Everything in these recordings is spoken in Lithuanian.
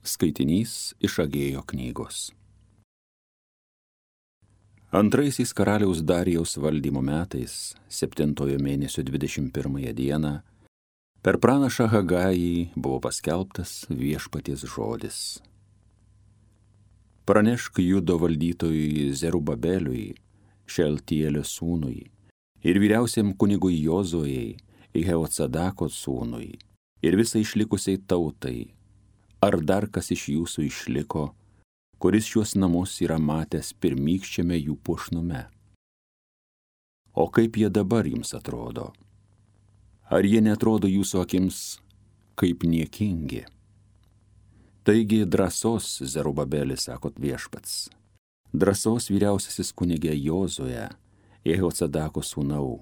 Skaitinys iš Agėjo knygos. Antraisiais karaliaus Darijaus valdymo metais, 7 mėnesio 21 dieną, per pranašą Hagajį buvo paskelbtas viešpaties žodis. Pranešk Judo valdytojui Zerubabeliui, Šeltielio sūnui, ir vyriausiam kunigui Jozujai, Jehocadako sūnui, ir visai išlikusiai tautai, ar dar kas iš jūsų išliko, kuris šiuos namus yra matęs pirmykščiame jų puošnume? O kaip jie dabar jums atrodo? Ar jie neatrodo jūsų akims kaip niekingi? Taigi drąsos, Zerubabelis, sakot viešpats, drąsos vyriausiasis kunigė Jozuje, Jehocadako sūnau,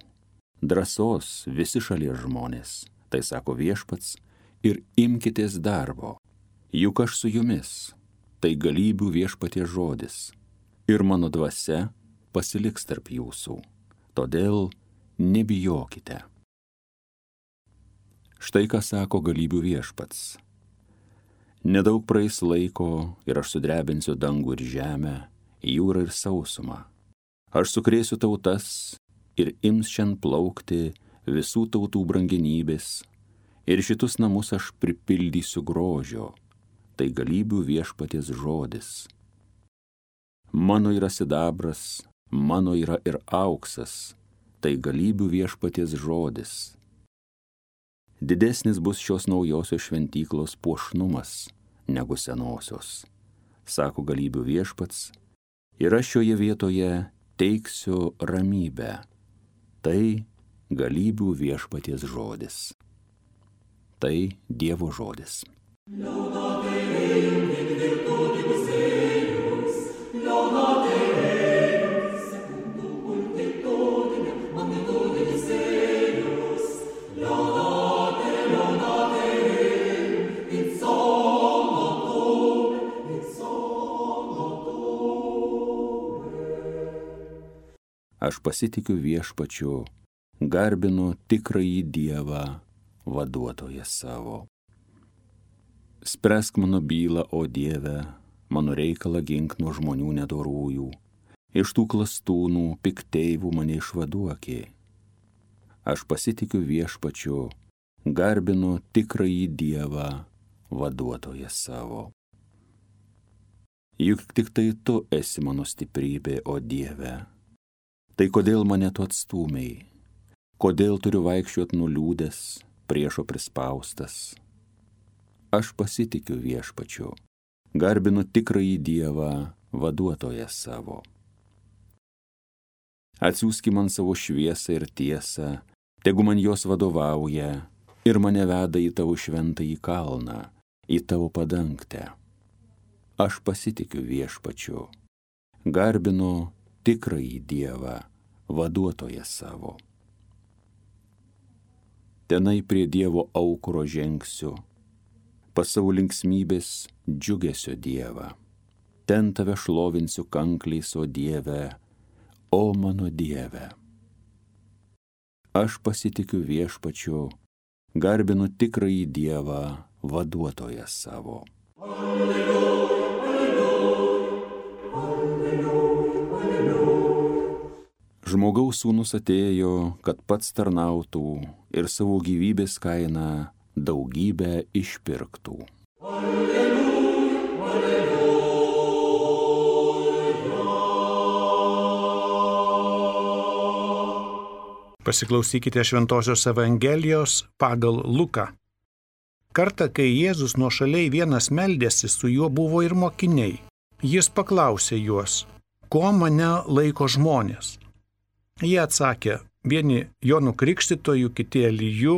drąsos visi šalies žmonės, tai sako viešpats, ir imkitės darbo, juk aš su jumis, tai galybių viešpaties žodis, ir mano dvasia pasiliks tarp jūsų, todėl nebijokite. Štai ką sako galybių viešpats. Nedaug praeis laiko ir aš sudrebinsiu dangų ir žemę, jūrą ir sausumą. Aš sukrėsiu tautas ir ims šiandien plaukti visų tautų brangenybės, ir šitus namus aš pripildysiu grožio, tai galybių viešpaties žodis. Mano yra sidabras, mano yra ir auksas, tai galybių viešpaties žodis. Didesnis bus šios naujosios šventyklos puošnumas negu senosios, sako galybių viešpats, ir aš šioje vietoje teiksiu ramybę, tai galybių viešpaties žodis. Tai Dievo žodis. Aš pasitikiu viešpačiu, garbinu tikrąjį Dievą, vaduotoją savo. Spręsk mano bylą, o Dieve, mano reikalą gink nuo žmonių nedorųjų, iš tų klastūnų pikteivų mane išvaduokė. Aš pasitikiu viešpačiu, garbinu tikrąjį Dievą, vaduotoją savo. Juk tik tai tu esi mano stiprybė, o Dieve. Tai kodėl mane tu atstūmei? Kodėl turiu vaikščiot nuliūdęs, priešo prispaustas? Aš pasitikiu viešpačiu, garbinu tikrąjį Dievą, vaduotoją savo. Atsiųski man savo šviesą ir tiesą, tegu man jos vadovauja ir mane veda į tavo šventąjį kalną, į tavo padangtę. Aš pasitikiu viešpačiu, garbinu tikrąjį Dievą, vaduotoją savo. Tenai prie Dievo aukuro žengsiu, pas savo linksmybės džiugesio Dievą. Ten tave šlovinsiu kankliais, o Dieve, o mano Dieve. Aš pasitikiu viešpačiu, garbinu tikrąjį Dievą, vaduotoją savo. Alleluja, alleluja, alleluja, alleluja. Žmogaus sūnus atėjo, kad pats tarnautų ir savo gyvybės kainą daugybę išpirktų. Alleluja, alleluja. Pasiklausykite Šventosios Evangelijos pagal Luką. Kartą, kai Jėzus nuošaliai vienas meldėsi, su juo buvo ir mokiniai. Jis paklausė juos, ko mane laiko žmonės? Jie atsakė, vieni Jonu Krikštytoju, kiti Eliju,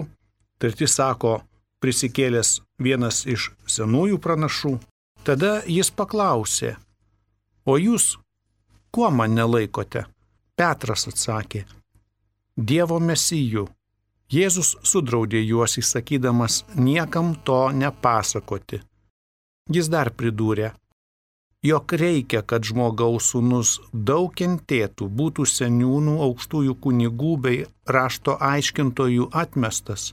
treti sako, prisikėlęs vienas iš senųjų pranašų. Tada jis paklausė, o jūs kuo mane laikote? Petras atsakė, Dievo mesiju. Jėzus sudraudė juos įsakydamas niekam to nepasakoti. Jis dar pridūrė, jog reikia, kad žmogaus sūnus daug kentėtų, būtų seniūnų, aukštųjų kunigų bei rašto aiškintojų atmestas,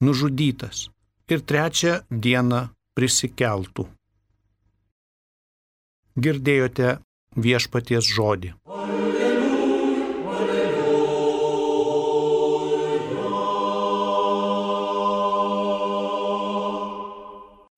nužudytas ir trečią dieną prisikeltų. Girdėjote viešpaties žodį.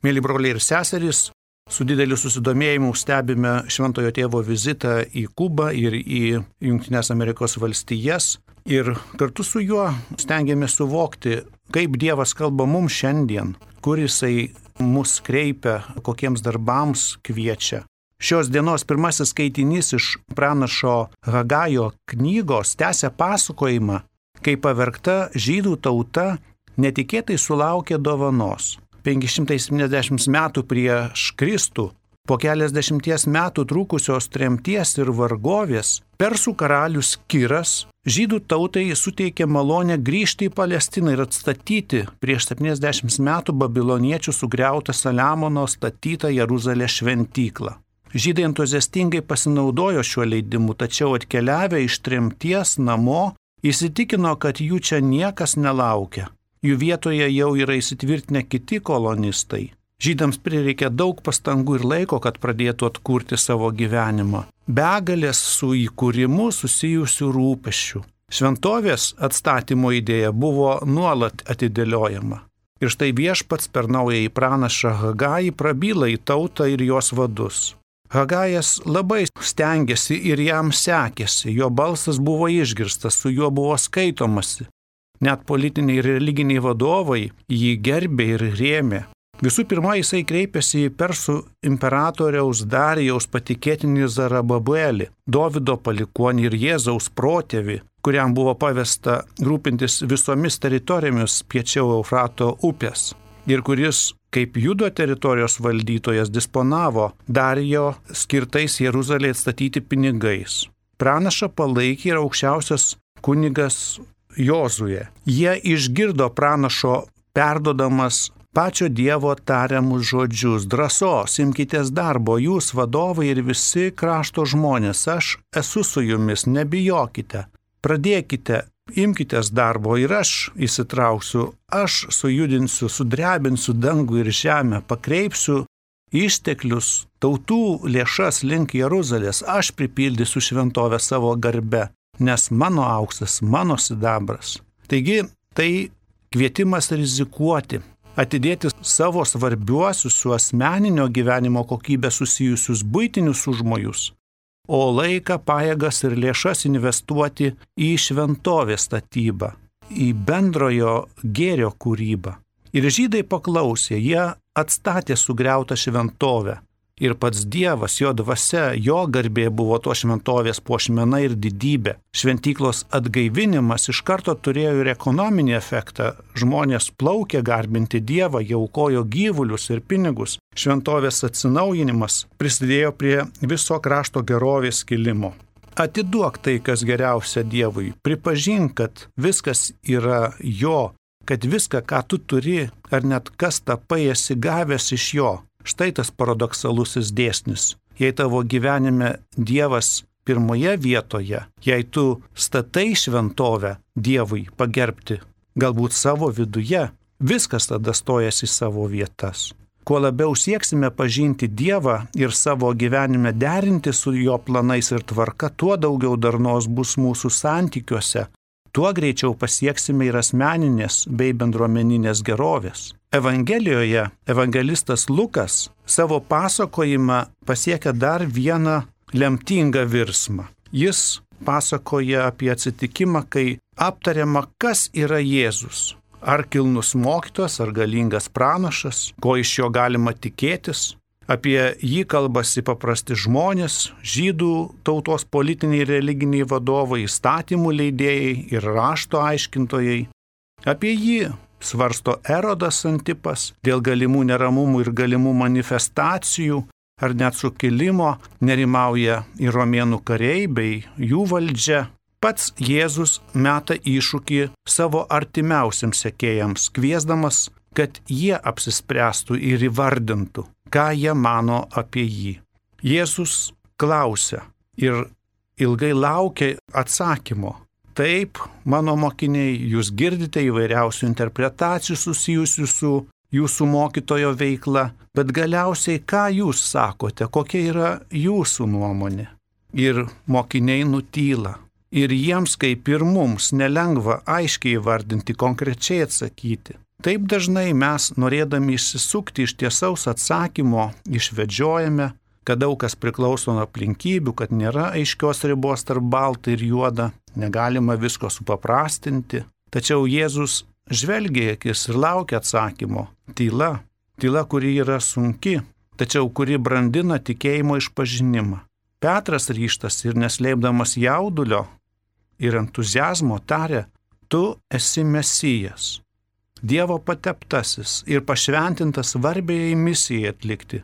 Mėly broliai ir seserys, su dideliu susidomėjimu stebime Šventojo Tėvo vizitą į Kubą ir į Jungtines Amerikos valstijas ir kartu su juo stengiamės suvokti, kaip Dievas kalba mums šiandien, kur Jisai mus kreipia, kokiems darbams kviečia. Šios dienos pirmasis skaitinys iš pranašo Hagajo knygos tęsia pasakojimą, kaip pavergta žydų tauta netikėtai sulaukė dovanos. 570 metų prieš Kristų, po keliasdešimties metų trukusios tremties ir vargovės, persų karalius Kiras žydų tautai suteikė malonę grįžti į Palestiną ir atstatyti prieš 70 metų babiloniečių sugriautą Saliamono statytą Jeruzalės šventyklą. Žydai entuziastingai pasinaudojo šiuo leidimu, tačiau atkeliavę iš tremties namo įsitikino, kad jų čia niekas nelaukia. Jų vietoje jau yra įsitvirtinę kiti kolonistai. Žydams prireikė daug pastangų ir laiko, kad pradėtų atkurti savo gyvenimą. Begalės su įkūrimu susijusių rūpesčių. Šventovės atstatymo idėja buvo nuolat atidėliojama. Ir štai Viešpats per naująjį pranašą Hagajį prabyla į tautą ir jos vadus. Hagajas labai stengiasi ir jam sekėsi, jo balsas buvo išgirstas, su juo buvo skaitomasi. Net politiniai ir religiniai vadovai jį gerbė ir rėmė. Visų pirma, jisai kreipėsi į persų imperatoriaus Darijaus patikėtinį Zarababelį, Dovydo palikuonį ir Jėzaus protėvį, kuriam buvo pavesta rūpintis visomis teritorijomis piečiau Eufrato upės ir kuris, kaip Judo teritorijos valdytojas, disponavo Darijo skirtais Jeruzalei atstatyti pinigais. Pranašą palaikė ir aukščiausias kunigas Jozuė. Jie išgirdo pranašo perdodamas pačio Dievo tariamus žodžius: drąsos, imkitės darbo, jūs vadovai ir visi krašto žmonės, aš esu su jumis, nebijokite, pradėkite, imkitės darbo ir aš įsitrauksiu, aš sujudinsiu, sudrebinsiu dangų ir žemę, pakreipsiu išteklius, tautų lėšas link Jeruzalės, aš pripildysiu šventovę savo garbe, nes mano auksas, mano sidabras. Taigi tai kvietimas rizikuoti, atidėti savo svarbiuosius su asmeninio gyvenimo kokybė susijusius buitinius užmojus, o laiką, pajėgas ir lėšas investuoti į šventovės statybą, į bendrojo gėrio kūrybą. Ir žydai paklausė, jie atstatė sugriautą šventovę. Ir pats Dievas, jo dvasia, jo garbė buvo to šventovės puošmena ir didybė. Šventyklos atgaivinimas iš karto turėjo ir ekonominį efektą. Žmonės plaukė garbinti Dievą, jie aukojo gyvulius ir pinigus. Šventovės atsinaujinimas prisidėjo prie viso krašto gerovės kilimo. Atiduok tai, kas geriausia Dievui. Pripažink, kad viskas yra jo, kad viską, ką tu turi, ar net kas tapai, esi gavęs iš jo. Štai tas paradoksalusis dėsnis. Jei tavo gyvenime Dievas pirmoje vietoje, jei tu statai šventovę Dievui pagerbti, galbūt savo viduje, viskas tada stojasi į savo vietas. Kuo labiau sieksime pažinti Dievą ir savo gyvenime derinti su jo planais ir tvarka, tuo daugiau darnos bus mūsų santykiuose, tuo greičiau pasieksime ir asmeninės bei bendruomeninės gerovės. Evangelijoje evangelistas Lukas savo pasakojimą pasiekia dar vieną lemtingą virsmą. Jis pasakoja apie atsitikimą, kai aptariama, kas yra Jėzus. Ar kilnus mokytojas, ar galingas pranašas, ko iš jo galima tikėtis. Apie jį kalbasi paprasti žmonės, žydų tautos politiniai ir religiniai vadovai, įstatymų leidėjai ir rašto aiškintojai. Apie jį svarsto Erodas Antipas dėl galimų neramumų ir galimų manifestacijų ar net sukilimo, nerimauja ir romėnų kariai bei jų valdžia. Pats Jėzus meta iššūkį savo artimiausiams sekėjams, kviesdamas, kad jie apsispręstų ir įvardintų, ką jie mano apie jį. Jėzus klausia ir ilgai laukia atsakymo. Taip, mano mokiniai, jūs girdite įvairiausių interpretacijų susijusių su jūsų mokytojo veikla, bet galiausiai ką jūs sakote, kokia yra jūsų nuomonė. Ir mokiniai nutyla. Ir jiems, kaip ir mums, nelengva aiškiai įvardinti, konkrečiai atsakyti. Taip dažnai mes, norėdami išsisukti iš tiesaus atsakymo, išvedžiojame, kad daug kas priklauso nuo aplinkybių, kad nėra aiškios ribos tarp balta ir juoda, negalima visko supaprastinti. Tačiau Jėzus žvelgia į akis ir laukia atsakymo. Tyla, kuri yra sunki, tačiau kuri brandina tikėjimo išpažinimą. Petras ryžtas ir neslėpdamas jaudulio ir entuziazmo tarė, tu esi Mesijas, Dievo pateptasis ir pašventintas svarbiai misijai atlikti,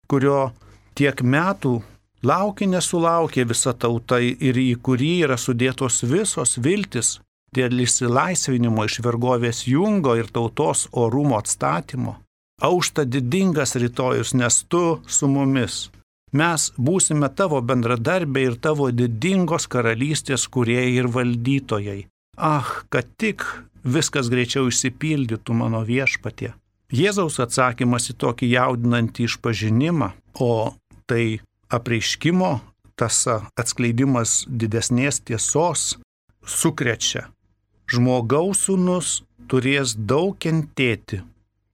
kurio tiek metų laukia nesulaukė visa tauta ir į kurį yra sudėtos visos viltis dėl išsilaisvinimo iš vergovės jungo ir tautos orumo atstatymo. Aušta didingas rytojus, nes tu su mumis. Mes būsime tavo bendradarbiai ir tavo didingos karalystės kūrėjai ir valdytojai. Kad tik viskas greičiau išsipildytų mano viešpatie. Jėzaus atsakymas į tokį jaudinantį išpažinimą, o tai apreiškimo tąsa, atskleidimas didesnės tiesos, sukrečia. Žmogaus sūnus turės daug kentėti,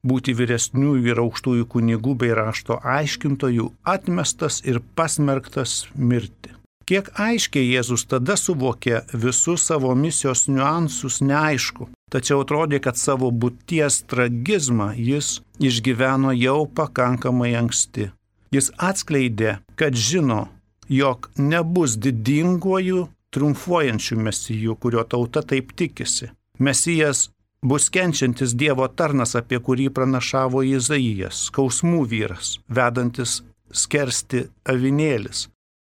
būti vyresniųjų ir aukštųjų kunigų bei rašto aiškintojų, atmestas ir pasmerktas mirti. Kiek aiškiai Jėzus tada suvokė visus savo misijos niuansus, neaišku, tačiau atrodė, kad savo būties tragizmą jis išgyveno jau pakankamai anksti. Jis atskleidė, kad žino, jog nebus didinguoju, triumfuojančių mesijų, kurio tauta taip tikisi. Mesijas bus kenčiantis Dievo tarnas, apie kurį pranašavo Izaijas, skausmų vyras, vedantis skersti avinėlis,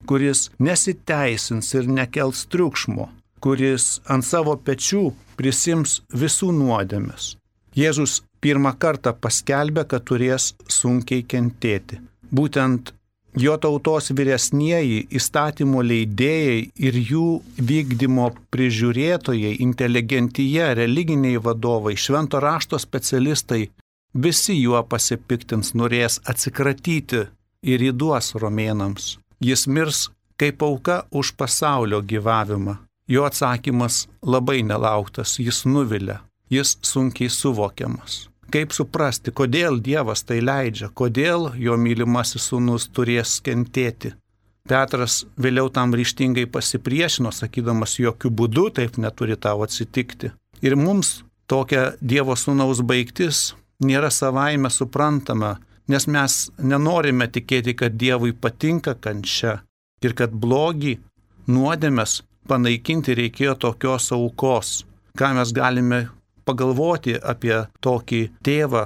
kuris nesiteisins ir nekels triukšmo, kuris ant savo pečių prisims visų nuodėmes. Jėzus pirmą kartą paskelbė, kad turės sunkiai kentėti. Būtent jo tautos vyresnieji, įstatymo leidėjai ir jų vykdymo prižiūrėtojai, inteligentija, religiniai vadovai, švento rašto specialistai, visi juo pasipiktins, norės atsikratyti ir įduos romėnams. Jis mirs kaip auka už pasaulio gyvavimą. Jo atsakymas labai nelauktas, jis nuvilia, jis sunkiai suvokiamas. Kaip suprasti, kodėl Dievas tai leidžia, kodėl jo mylimasis sūnus turės kentėti? Petras vėliau tam ryžtingai pasipriešino, sakydamas, jokių būdų taip neturi tau atsitikti. Ir mums tokia Dievo sūnaus baigtis nėra savaime suprantama, nes mes nenorime tikėti, kad Dievui patinka kančia ir kad blogį, nuodėmes panaikinti reikėjo tokios aukos. Ką mes galime pagalvoti apie tokį tėvą,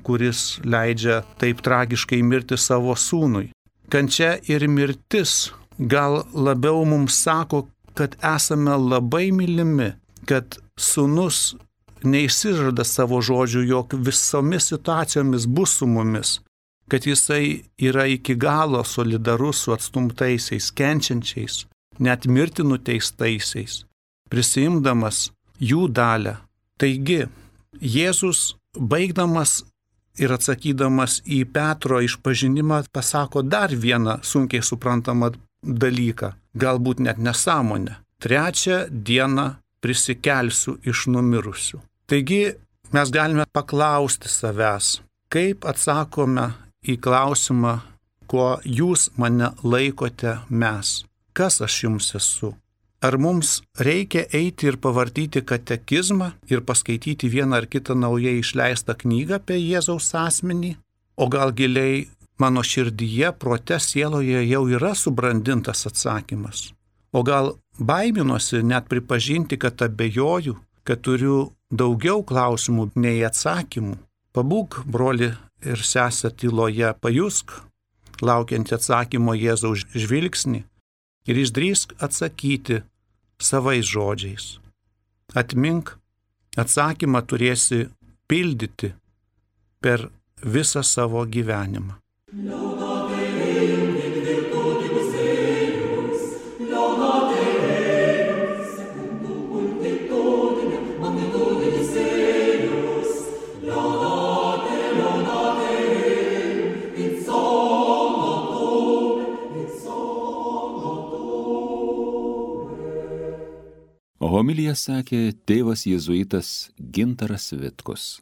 kuris leidžia taip tragiškai mirti savo sūnui. Kančia ir mirtis gal labiau mums sako, kad esame labai mylimi, kad sūnus neišsižada savo žodžių, jog visomis situacijomis bus su mumis, kad jisai yra iki galo solidarus su atstumtaisiais, kenčiančiais, net mirti nuteistaisiais, prisiimdamas jų dalią. Taigi, Jėzus, baigdamas ir atsakydamas į Petro išpažinimą, pasako dar vieną sunkiai suprantamą dalyką, galbūt net nesąmonę. 3 dieną prisikelsiu iš numirusių. Taigi, mes galime paklausti savęs, kaip atsakome į klausimą, kuo jūs mane laikote mes. Kas aš jums esu? Ar mums reikia eiti ir pavartyti katekizmą ir paskaityti vieną ar kitą naujai išleistą knygą apie Jėzaus asmenį? O gal giliai mano širdyje, prote, sieloje jau yra subrandintas atsakymas? O gal baiminuosi net pripažinti, kad abejoju, kad turiu daugiau klausimų nei atsakymų? Pabūk, broli ir sesė, tyloje, pajusk laukiant atsakymo Jėzaus žvilgsnį ir išdrįsk atsakyti savais žodžiais. Atmink, atsakymą turėsi pildyti per visą savo gyvenimą. Homiliją sakė tėvas jėzuitas Gintaras Vitkus.